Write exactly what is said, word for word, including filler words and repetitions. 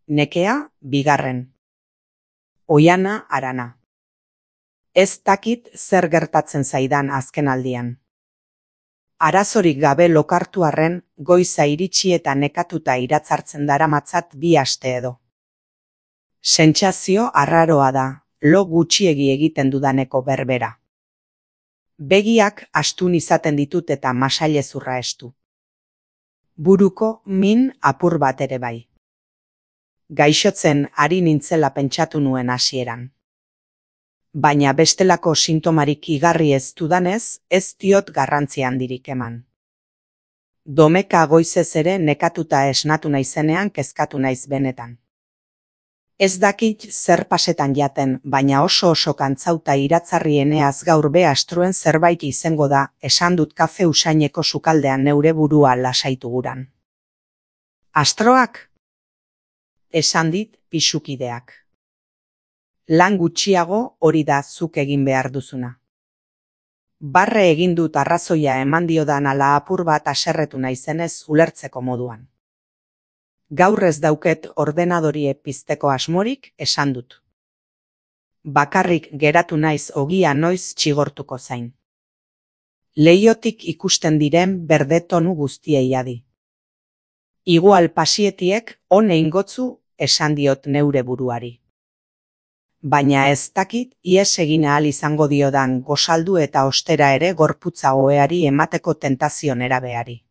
Nekea, bigarren. Oiana, Arana. Ez dakit zer gertatzen zaidan azken aldian. Arazorik gabe lokartu arren, goiza iritsi eta nekatuta iratzartzen daramatzat bi aste edo. Sentsazio arraroa da, lo gutxiegi egiten dudaneko berbera. Begiak astun izaten ditut eta masailezurra estu. Buruko min apur bat ere bai. Gaixotzen ari nintzela pentsatu nuen hasieran. Baina bestelako sintomarik igarri ez dudanez, ez diot garrantzi handirik eman. Domeka goizez ere nekatuta esnatu naizenean kezkatu naiz benetan. Ez dakit zer pasetan jaten, baina oso oso kantzauta iratzarrieneaz gaur be astruen zerbait izango da, esan dut kafe usaineko sukaldean neure burua lasaitu guran. Astroak? Esan dit pisukideak. Lan gutxiago hori da zuk egin behar duzuna. Barre egin dut arrazoia eman diodan ala apur bat aserretu naizenez ulertzeko moduan. Gaur ez dauket ordenadorie pizteko asmorik, esan dut. Bakarrik geratu naiz ogia noiz txigortuko zain. Leiotik ikusten diren berde tonu guztiei adi. Igual pasietiek on eingotzu esan diot neure buruari. Baina ez dakit ies egin ahal izango diodan gozaldu eta ostera ere gorputza oheari emateko tentazio nerabeari.